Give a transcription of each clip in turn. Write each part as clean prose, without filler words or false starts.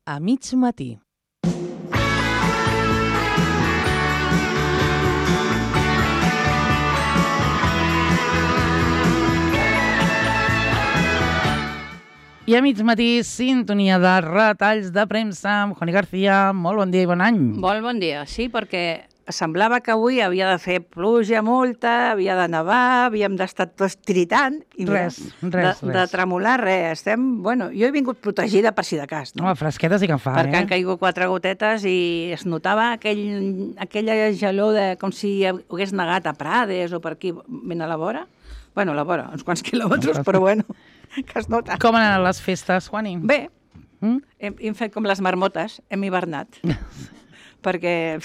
a mig matí. I a mig matí, sintonia de retalls de premsa amb Juani García. Molt bon dia i bon any. Molt bon dia, sí, perquè semblava que avui havia de fer pluja molta, havia de nevar, havíem d'estar tots tritant. I Res. De tremolar, res. Jo he vingut protegida per si de cas. No? Home, fresqueta sí que en fa, Perquè han caigut 4 gotetes i es notava aquella gelor de com si hagués negat a Prades o per aquí, ben a la vora. Bueno, a la vora, uns quants quilòmetres, però bueno, que es nota. Com han anat les festes, Juani? Bé, hem fet com les marmotes, hem hivernat, perquè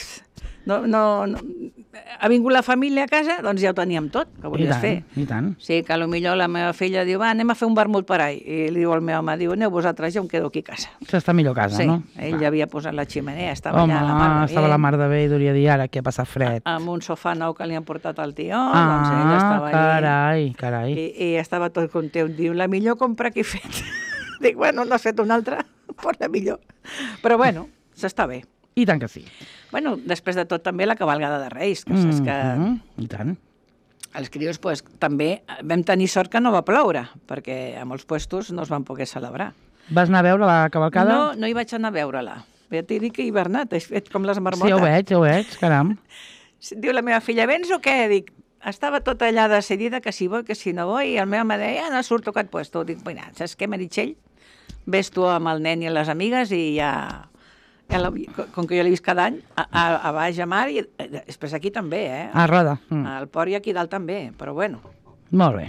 ha vingut la família a casa, doncs ja ho teníem tot, que volies fer. I tant. Sí, que potser la meva filla diu, va, anem a fer un vermut per ahí. I li diu al meu home, diu, aneu vosaltres, jo em quedo aquí a casa. S'està millor a casa, sí, no? Ell ja havia posat la ximenea, estava Home, allà a la mar de bé. estava la mar de bé i duria dir ara que ha passat fred. Amb un sofà nou que li han portat al tió, doncs ell estava allí. Carai. I estava tot content. Diu, la millor compra que he fet. Dic, bueno, no has fet una altra, però la millor. Però bueno, s'està bé. I tant que sí. Bueno, després de tot també la cavalgada de Reis, que saps que I tant. els crios també vam tenir sort que no va ploure, perquè a molts puestos no es van poder celebrar. Vas anar a veure la cavalcada? No hi vaig anar a veure-la. Ja t'he dit que he hivernat, he fet com les marmotes. Sí, ho veig, caram. Diu la meva filla, vens o què? Dic, estava tota allà decidida que si vull, que si no vull, i el meu home deia, no surto aquest puesto. Dic, mira, saps què, Meritxell? Ves tu amb el nen i les amigues i ja com que jo l'he vist cada any, a baix a mar, i després aquí també, A Roda. Al port i aquí dalt també, però bueno. Molt bé.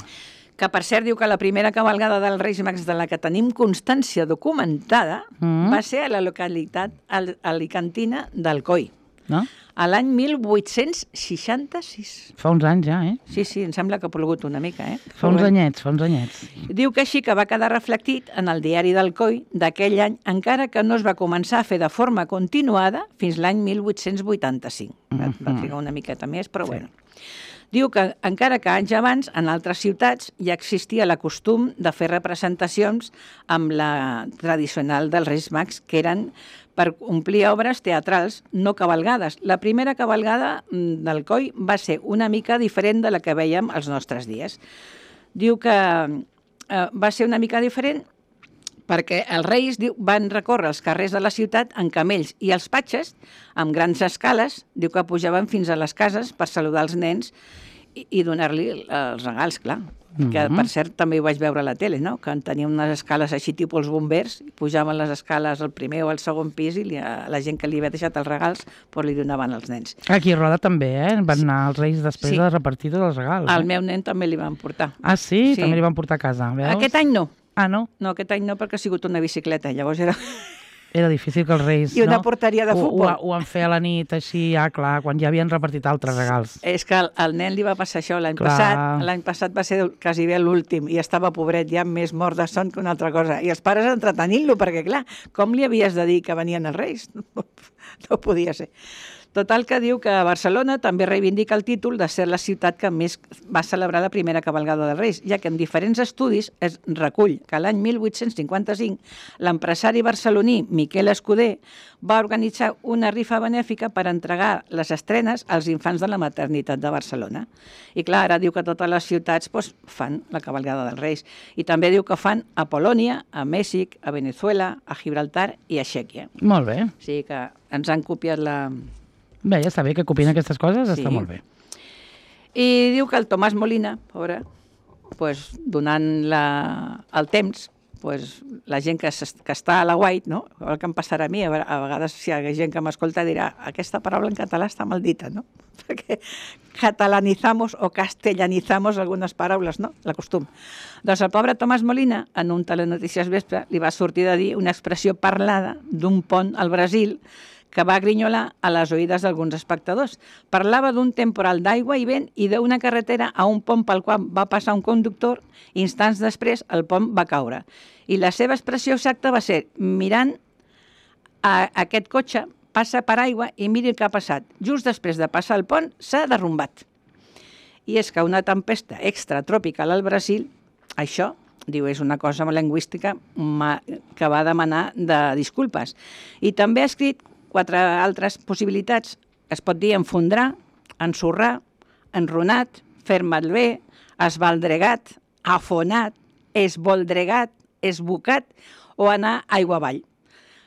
Que per cert diu que la primera cavalgada dels Reis Mags de la que tenim constància documentada va ser a la localitat alicantina d'Alcoi, no? A l'any 1866. Fa uns anys ja, Sí, em sembla que ha plogut una mica, Fa uns anyets. Diu que així que va quedar reflectit en el diari d'Alcoi d'aquell any, encara que no es va començar a fer de forma continuada fins l'any 1885. Va trigar una miqueta més, però bueno. Diu que encara que anys abans, en altres ciutats, ja existia la costum de fer representacions amb la tradicional dels Reis Mags, que eren per omplir obres teatrals, no cavalgades. La primera cavalgada d'Alcoi va ser una mica diferent de la que veiem als nostres dies. Diu que va ser una mica diferent perquè els reis van recórrer els carrers de la ciutat en camells i els patges, amb grans escales, diu que pujaven fins a les cases per saludar els nens i donar-li els regals, clar. Que, per cert, també ho vaig veure a la tele, no? Que tenia unes escales així, tipus els bombers, pujaven les escales al primer o al segon pis i la gent que li havia deixat els regals li donaven als nens. Aquí a Roda també, Van anar els reis després de repartir tots els regals. Al meu nen també li van portar. Ah, sí? També li van portar a casa, veus? Aquest any no. Ah, no? No, aquest any no, perquè ha sigut una bicicleta, llavors era... Era difícil que els reis... I una porteria de futbol. Ho van fer a la nit, així, clar, quan ja havien repartit altres regals. És que al nen li va passar això l'any passat. L'any passat va ser quasi bé l'últim i estava pobret, ja més mort de son que una altra cosa. I els pares entretenint-lo, perquè clar, com li havies de dir que venien els reis? No podia ser. Total que diu que Barcelona també reivindica el títol de ser la ciutat que més va celebrar la primera cavalgada dels Reis, ja que en diferents estudis es recull que l'any 1855 l'empresari barceloní Miquel Escudé va organitzar una rifa benèfica per entregar les estrenes als infants de la maternitat de Barcelona. I clar, ara diu que totes les ciutats fan la cavalgada dels Reis. I també diu que fan a Polònia, a Mèxic, a Venezuela, a Gibraltar i a Txèquia. Molt bé. O sigui que ens han copiat la... Bé, ja està bé que copien aquestes coses, està molt bé. I diu que el Tomàs Molina, pobre, donant el temps, la gent que està a la White, no? El que em passarà a mi, a vegades si hi ha gent que m'escolta dirà aquesta paraula en català està maldita, no? Perquè catalanizamos o castellanizamos algunes paraules, no? La costum. Doncs el pobre Tomàs Molina, en un Telenotícies Vespre, li va sortir de dir una expressió parlada d'un pont al Brasil que va grinyolar a les oïdes d'alguns espectadors. Parlava d'un temporal d'aigua i vent i d'una carretera a un pont pel qual va passar un conductor i instants després el pont va caure. I la seva expressió exacta va ser mirant a aquest cotxe, passa per aigua i miri el que ha passat. Just després de passar el pont s'ha derrumbat. I és que una tempesta extratropical al Brasil, això Diu, és una cosa lingüística que va demanar de disculpes. I també ha escrit 4 altres possibilitats. Es pot dir enfondrar, ensorrar, enronat, fer malbé, esbaldregat, afonat, esboldregat, esbocat o anar aigua avall.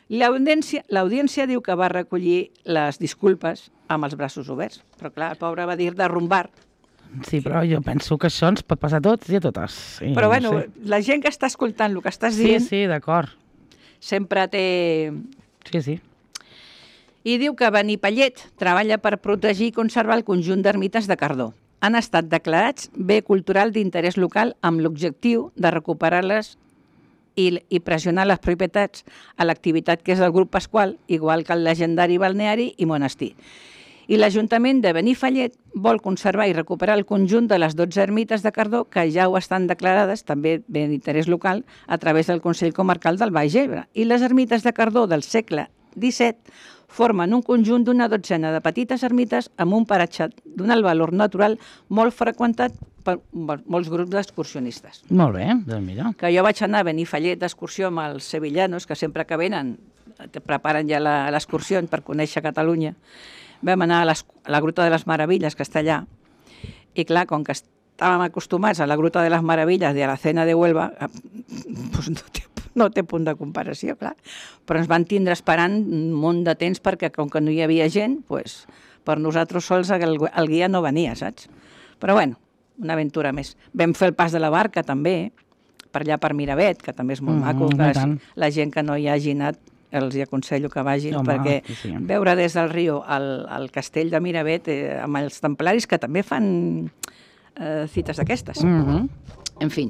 L'audiència diu que va recollir les disculpes amb els braços oberts, però clar, el pobre va dir de rumbar. Sí, però jo penso que això ens pot passar a tots i a totes. Sí, Però bueno, no sé. la gent que està escoltant el que estàs dient Sí, d'acord. sempre té... Sí. I diu que Benifallet treballa per protegir i conservar el conjunt d'ermites de Cardó. Han estat declarats bé cultural d'interès local amb l'objectiu de recuperar-les i pressionar les propietats a l'activitat que és del grup Pasqual, igual que el legendari balneari i monestir. I l'Ajuntament de Benifallet vol conservar i recuperar el conjunt de les 12 ermites de Cardó que ja ho estan declarades, també bé d'interès local, a través del Consell Comarcal del Baix Ebre. I les ermites de Cardó del segle XVII formen un conjunt d'una dotzena de petites ermites amb un paratge d'un alt valor natural molt freqüentat per molts grups d'excursionistes. Molt bé, doncs mira. Que jo vaig anar a Benifallet d'excursió amb els sevillanos, que sempre que venen te preparen ja l'excursió per conèixer Catalunya. Vam anar a la Gruta de les Meravilles, que està allà, i clar, com que estàvem acostumats a la Gruta de les Meravilles i a la Cena de Huelva, doncs no té punt de comparació, clar. Però ens van tindre esperant un munt de temps perquè, com que no hi havia gent, doncs, per nosaltres sols el guia no venia, saps? Però bueno, una aventura més. Vam fer el pas de la barca, també, per allà per Miravet, que també és molt maco. La gent que no hi hagi anat, els aconsello que vagin, perquè veure des del riu al castell de Miravet amb els templaris, que també fan cites d'aquestes. En fi.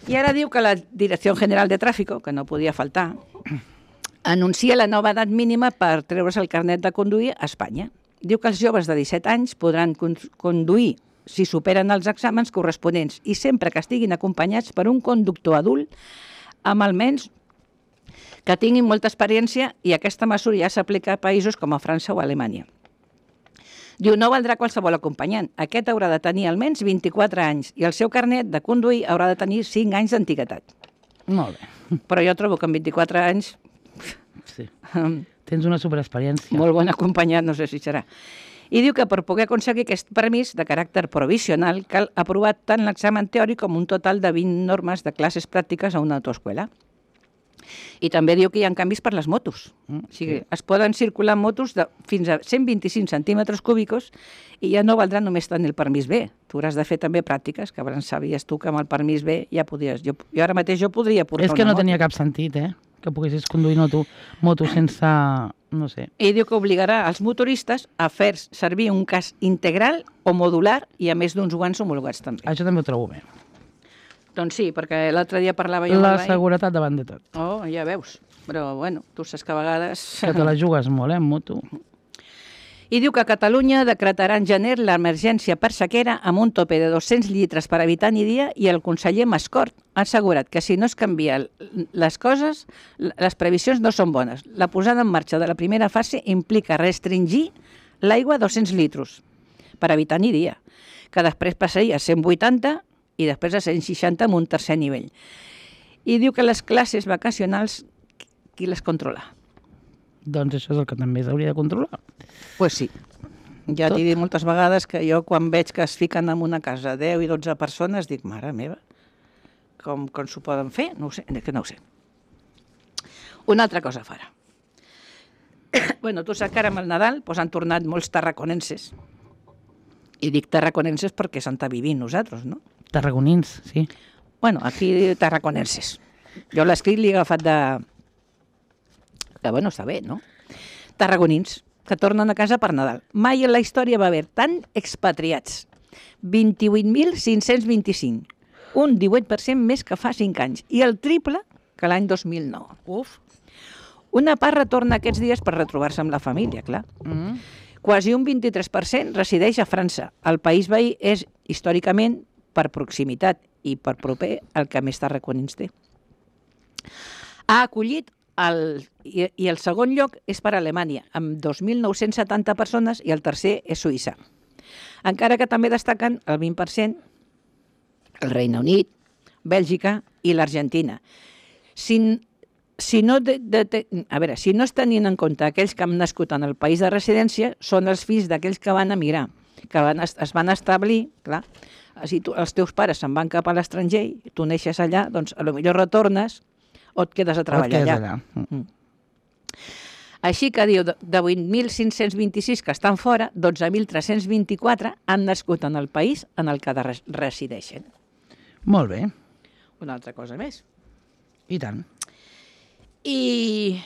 I ara diu que la Direcció General de Tràfico, que no podia faltar, anuncia la nova edat mínima per treure's el carnet de conduir a Espanya. Diu que els joves de 17 anys podran conduir si superen els exàmens corresponents i sempre que estiguin acompanyats per un conductor adult amb almenys que tinguin molta experiència, i aquesta mesura ja s'aplica a països com a França o Alemanya. Diu, no valdrà qualsevol acompanyant. Aquest haurà de tenir almenys 24 anys i el seu carnet de conduir haurà de tenir 5 anys d'antiguitat. Molt bé. Però jo trobo que amb 24 anys... Sí. Tens una superexperiència. Molt bon acompanyat, no sé si serà. I diu que per poder aconseguir aquest permís de caràcter provisional cal aprovar tant l'examen teòric com un total de 20 normes de classes pràctiques a una autoescola. I també diu que hi ha canvis per les motos. O sigui, es poden circular motos de fins a 125 centímetres cúbicos i ja no valdrà només tenir el permís B. Tu hauràs de fer també pràctiques, que abans sabies tu que amb el permís B ja podies... Jo ara mateix jo podria portar una moto. És que no tenia cap sentit, que poguessis conduir moto sense... no sé. I diu que obligarà els motoristes a fer servir un casc integral o modular i a més d'uns guants homologats també. Això també ho trobo bé. Doncs sí, perquè l'altre dia parlava jo... La seguretat davant de tot. Oh, ja veus. Però, bueno, tu saps que a vegades... Que te la jugues molt, en moto. I diu que Catalunya decretarà en gener l'emergència per sequera amb un tope de 200 litres per habitant i dia, i el conseller Mascort ha assegurat que si no es canvien les coses, les previsions no són bones. La posada en marxa de la primera fase implica restringir l'aigua a 200 litres per habitant i dia, que després passaria a 180 i després a 160 amb un tercer nivell. I diu que les classes vacacionals, qui les controla? Doncs això és el que també s'hauria de controlar. Pues sí. Ja t'he dit moltes vegades que jo quan veig que es fiquen en una casa 10 i 12 persones dic, mare meva, com s'ho poden fer? No ho sé, que no ho sé. Una altra cosa farà. Bueno, tu saps que ara amb el Nadal han tornat molts tarraconenses. I dic tarraconenses perquè s'han estat vivint nosaltres, no? Tarragonins, sí. Bueno, aquí tarraconenses. Jo l'escrit l'he agafat de... Que bueno, està bé, no? Tarragonins, que tornen a casa per Nadal. Mai en la història va haver tant expatriats. 28.525. Un 18% més que fa 5 anys. I el triple que l'any 2009. Uf. Una part retorna aquests dies per retrobar-se amb la família, clar. Quasi un 23% resideix a França. El país veí és, històricament, per proximitat i per proper, el que més tarraconins té. Ha acollit i el segon lloc és per Alemanya, amb 2.970 persones, i el tercer és Suïssa. Encara que també destaquen el 20% el Regne Unit, Bèlgica i l'Argentina. Si no es tenien en compte aquells que han nascut en el país de residència, són els fills d'aquells que van emigrar, que es van establir, clar, si els teus pares se'n van cap a l'estranger i tu neixes allà, doncs potser retornes o et quedes a treballar allà. Així que diu, de 8.526 que estan fora, 12.324 han nascut en el país en el que resideixen. Molt bé. Una altra cosa més. I tant. I...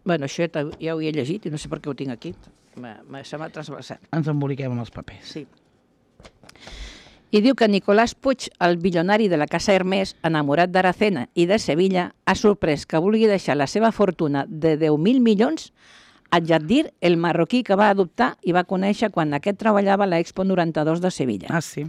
Bueno, això ja ho he llegit i no sé per què ho tinc aquí. Se m'ha trasbalsat. Ens emboliquem amb els papers. Sí. I diu que Nicolás Puig, el bilionari de la Casa Hermès, enamorat d'Aracena i de Sevilla, ha sorprès que vulgui deixar la seva fortuna de 10.000 milions a Jaddir, el marroquí que va adoptar i va conèixer quan aquest treballava a l'Expo 92 de Sevilla. Ah, sí.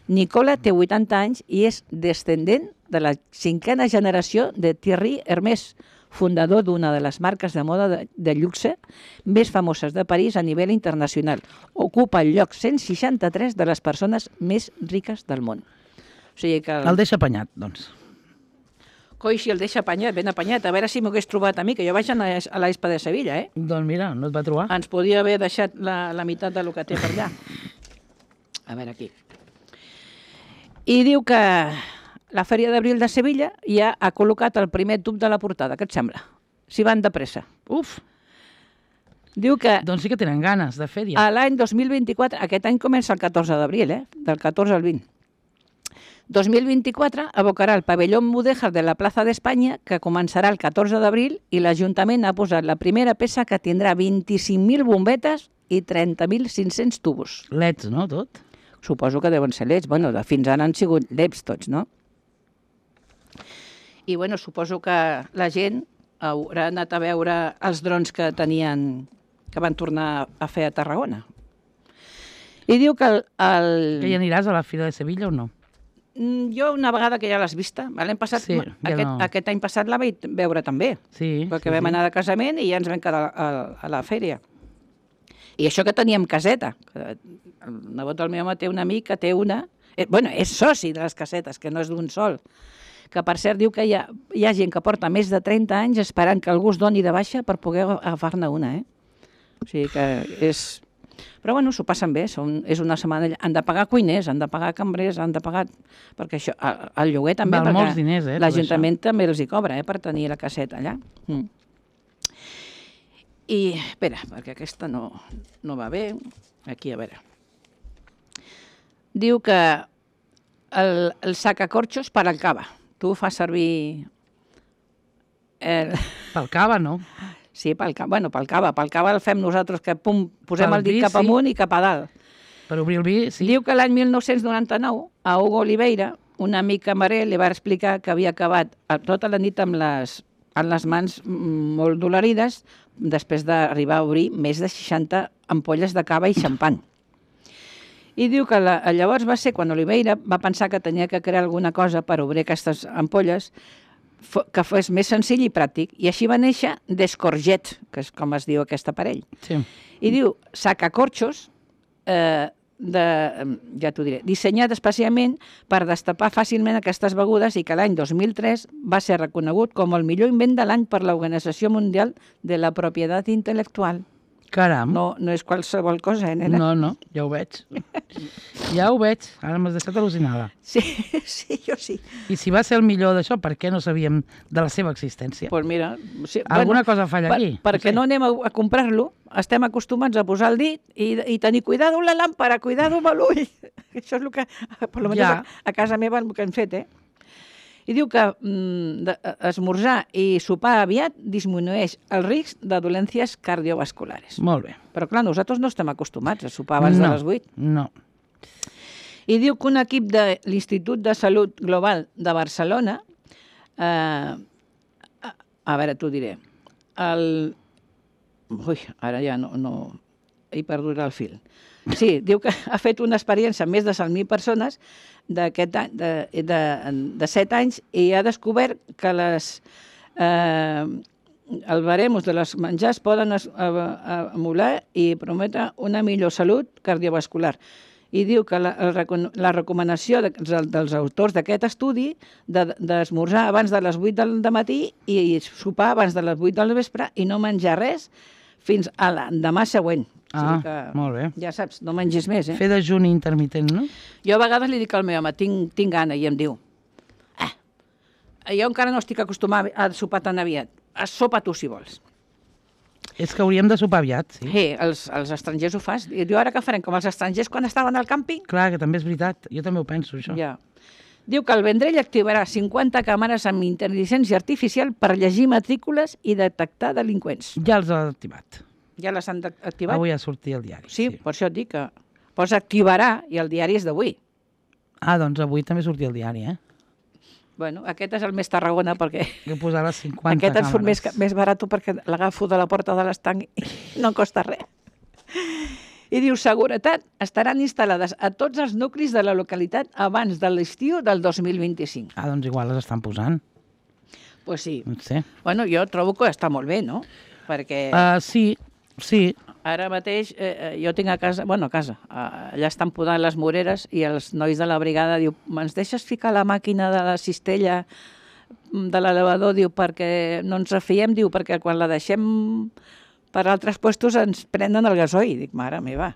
Nicola té 80 anys i és descendent de la 5a generació de Thierry Hermès, fundador d'una de les marques de moda de luxe més famoses de París a nivell internacional. Ocupa el lloc 163 de les persones més riques del món. O sigui que El deixa apanyat, doncs. Coi, si el deixa apanyat, ben apanyat. A veure si m'ho hagués trobat a mi, que jo vaig a l'Expo de Sevilla, eh? Doncs mira, no et va trobar. Ens podia haver deixat la meitat del que té per allà. A veure aquí. I diu que la Fèria d'Abril de Sevilla ja ha col·locat el primer tub de la portada. Què et sembla? Si van de pressa. Uf! Diu que Doncs sí que tenen ganes de fèria. a l'any 2024, aquest any comença el 14 d'abril, del 14 al 20. 2024 abocarà el pavelló mudèjar de la plaça d'Espanya, que començarà el 14 d'abril, i l'Ajuntament ha posat la primera peça que tindrà 25.000 bombetes i 30.500 tubos. LEDs, no, tot? Suposo que deuen ser LEDs. Bueno, fins ara han sigut LEDs tots, no? I, bueno, suposo que la gent haurà anat a veure els drons que van tornar a fer a Tarragona. I diu que Que hi aniràs a la Fira de Sevilla o no? Jo una vegada que ja l'has vista, l'any passat, Sí, ja no. aquest any passat la vaig veure també, Sí. perquè vam anar de casament i ja ens vam quedar a la fèria. I això que teníem caseta. El nebot del meu home té un amic que té una... Bueno, és soci de les casetes, que no és d'un sol. Que, per cert, diu que hi ha gent que porta més de 30 anys esperant que algú es doni de baixa per poder agafar-ne una, O sigui que és... Però, bueno, s'ho passen bé. És una setmana... Han de pagar cuiners, han de pagar cambrers, han de pagar... Perquè això, el lloguer també... Val molts diners, l'Ajuntament també els hi cobra, per tenir la caseta allà. I, espera, perquè aquesta no va bé. Aquí, a veure. Diu que el sacacorxos per al cava. Tu fas servir... Pel cava, no? Sí, pel cava. Bueno, pel cava el fem nosaltres, que posem Pel el dit vi, cap sí. amunt i cap a dalt. Per obrir el vi, sí. Diu que l'any 1999, a Hugo Oliveira, un amic camarer li va explicar que havia acabat tota la nit amb les mans molt dolorides després d'arribar a obrir més de 60 ampolles de cava i xampany. I diu que llavors va ser quan Oliveira va pensar que tenia que crear alguna cosa per obrir aquestes ampolles que fos més senzill i pràctic. I així va néixer Descorget, que és com es diu aquest aparell. Sí. I diu sacacorxos, ja t'ho diré, dissenyat especialment per destapar fàcilment aquestes begudes i que l'any 2003 va ser reconegut com el millor invent de l'any per l'Organització Mundial de la Propietat Intel·lectual. Caram. No és qualsevol cosa, nena? No, ja ho veig. Ja ho veig. Ara m'has deixat al·lucinada. Sí, jo sí. I si va ser el millor d'això, per què no sabíem de la seva existència? Doncs mira... Sí, Alguna cosa falla aquí. Perquè no anem a comprar-lo, estem acostumats a posar el dit i tenir cuidado amb la làmpara, cuidado amb l'ull. Això és el que, per almenys a casa meva, el que hem fet, I diu que esmorzar i sopar aviat disminueix el risc de dolències cardiovasculares. Molt bé. Però, clar, nosaltres no estem acostumats a sopar abans de les 8. No. I diu que un equip de l'Institut de Salut Global de Barcelona, a veure, t'ho diré, ara ja no... He perdut el fil. Sí, diu que ha fet una experiència amb més de 100.000 persones de 7 anys i ha descobert que el baremos de les menjars poden emular i prometre una millor salut cardiovascular. I diu que la recomanació dels autors d'aquest estudi d'esmorzar abans de les 8 del matí i sopar abans de les 8 del vespre i no menjar res fins a l'endemà següent. Molt bé. Ja saps, no mengis més, Fer dejuni intermitent, no? Jo a vegades li dic al meu home, tinc gana, i em diu, jo encara no estic acostumat a sopar tan aviat. Sopa tu, si vols. És que hauríem de sopar aviat, sí. Sí, els estrangers ho fas. I diu, ara què farem? Com els estrangers quan estaven al càmping? Clar, que també és veritat. Jo també ho penso, això. Ja. Diu que el Vendrell activarà 50 càmeres amb intel·ligència artificial per llegir matrícules i detectar delinqüents. Ja els ha activat. Ja les han activat? Avui ha sortit el diari. Sí, per això et dic que posa activarà i el diari és d'avui. Doncs avui també sortia el diari, Bueno, aquest és el més Tarragona perquè... Que posarà 50 aquest ens càmeres. surt més barat perquè l'agafo de la porta de l'estanc i no costa res. I diu, seguretat estaran instal·lades a tots els nuclis de la localitat abans de l'estiu del 2025. Doncs igual les estan posant. Pues sí. No sé. Bueno, jo trobo que està molt bé, no? Perquè... Sí. Ara mateix jo tinc a casa, allà estan podant les moreres i els nois de la brigada diu, ens deixes ficar la màquina de la cistella de l'elevador, diu, perquè no ens refiem, diu, perquè quan la deixem per altres puestos ens prenen el gasoil. Dic, mare meva.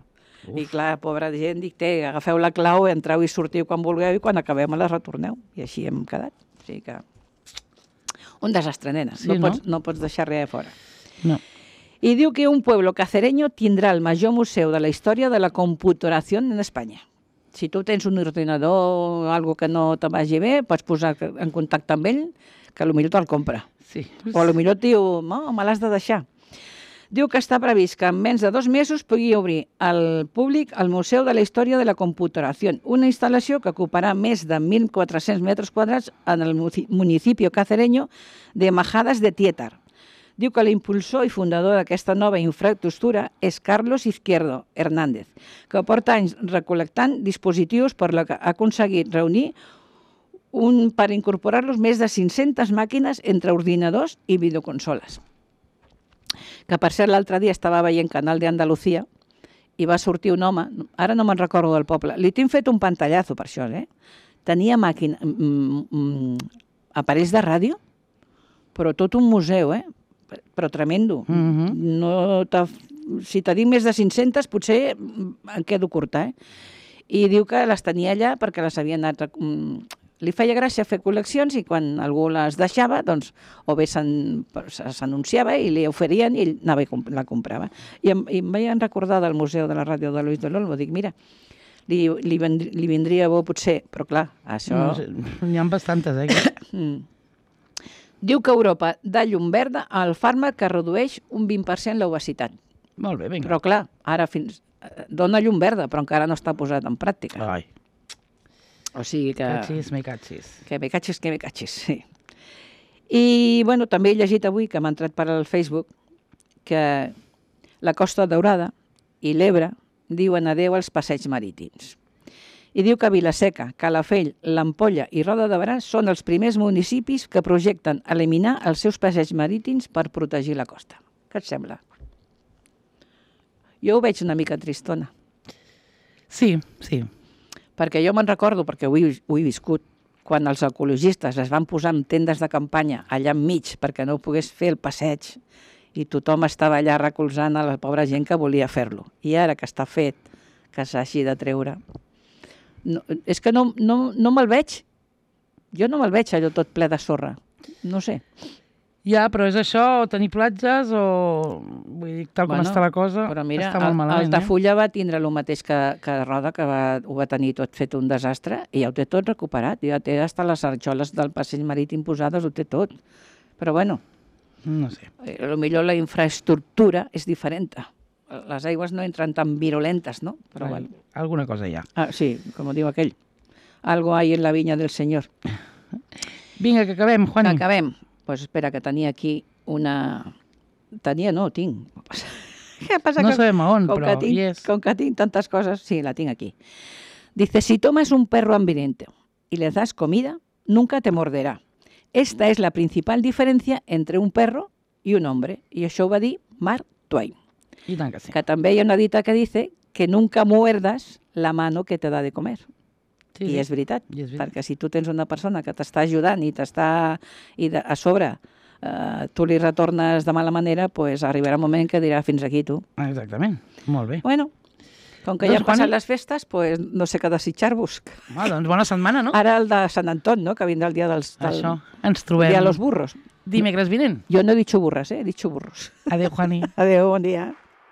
I clar, pobra gent, dic, agafeu la clau, entreu i sortiu quan vulgueu i quan acabem la retorneu. I així hem quedat. O sigui que... Un desastre, nena. Sí, no pots deixar res a fora. No. I diu que un pueblo cacereño tindrà el major museu de la història de la computació en Espanya. Si tu tens un ordinador o algo que no te vagi bé, pots posar en contacte amb ell, que potser te'l compra. Sí. O potser et diu, no, me l'has de deixar. Diu que està previst que en menys de 2 mesos pugui obrir al públic el Museu de la Història de la Computació, una instal·lació que ocuparà més de 1.400 metres quadrats en el municipi cacereño de Majadas de Tietar. Diu que l'impulsor i fundador d'aquesta nova infraestructura és Carlos Izquierdo Hernández, que porta anys recol·lectant dispositius per la que ha aconseguit reunir per incorporar-los més de 500 màquines entre ordinadors i videoconsoles. Que per cert l'altre dia estava veient Canal de Andalucía i va sortir un home, ara no me'n recordo del poble, li tinc fet un pantallazo per això, tenia aparells de ràdio, però tot un museu, però tremendo. Si te dic més de 500, potser em quedo curta, I diu que les tenia allà perquè les havien anat... Li feia gràcia fer col·leccions i quan algú les deixava, doncs, o bé s'anunciava i li oferien i ell anava i la comprava. I em vaig recordar del Museu de la Ràdio de Luis de l'Olmo. Dic, mira, li vindria bo potser, però clar, això... N'hi ha bastantes, Diu que Europa dà llum verda al fàrmac que redueix un 20% l'obesitat. Molt bé, vinga. Però clar, ara dona llum verda, però encara no està posat en pràctica. Ai. O sigui que... Me catxis. Que me catxis, sí. I, bueno, també he llegit avui, que m'ha entrat per al Facebook, que la Costa Daurada i l'Ebre diuen adeu als passeigs marítims. I diu que Vilaseca, Calafell, l'Ampolla i Roda de Berà són els primers municipis que projecten eliminar els seus passeigs marítims per protegir la costa. Què et sembla? Jo ho veig una mica tristona. Sí. Perquè jo me'n recordo, perquè ho he viscut, quan els ecologistes es van posar amb tendes de campanya allà enmig perquè no pogués fer el passeig i tothom estava allà recolzant a la pobra gent que volia fer-lo. I ara que està fet, que s'hagi de treure... No, és que no me'l veig. Jo no me'l veig allò tot ple de sorra. No sé. Ja, però és això, o tenir platges o... Vull dir, tal com està la cosa, però mira, està molt malament. Altafulla va tindre el mateix que Roda, que ho va tenir tot fet un desastre, i ja ho té tot recuperat. Ja té hasta les arxoles del passeig marítim posades, ho té tot. Però bueno, no sé. Potser la infraestructura és diferent. Les aigües no entren tan virulentes, ¿no? Però bueno. Alguna cosa hi ha. Sí, com diu aquell. Algo hay en la viña del Señor. Vinga, que acabem, Juani. Acabem. Pues espera, que tenia aquí una... Tinc. ¿Qué pasa? No sabem a on, però hi és. Com que tinc tantes coses, sí, la tinc aquí. Dice, si tomas un perro hambriento y le das comida, nunca te morderá. Esta es la principal diferencia entre un perro y un hombre. I això ho va dir Mark Twain. I tant que sí. Que també hi ha una dita que dice que nunca muerdas la mano que te da de comer. Sí, I sí. és veritat, I és veritat. perquè si tu tens una persona que t'està ajudant i a sobre tu li retornes de mala manera, pues arribarà un moment que dirà fins aquí tu. Exactament, molt bé. Bueno, com que Doncs, ja han passat Juani- les festes, pues no sé què desitjar-vos. Home, doncs bona setmana, no? Ara el de Sant Anton, no?, que vindrà el dia Això, ens trobem dia de los burros. dimecres vinent. Jo no he dit burres, he dit burros. Adéu, Juani. Adéu, bon dia.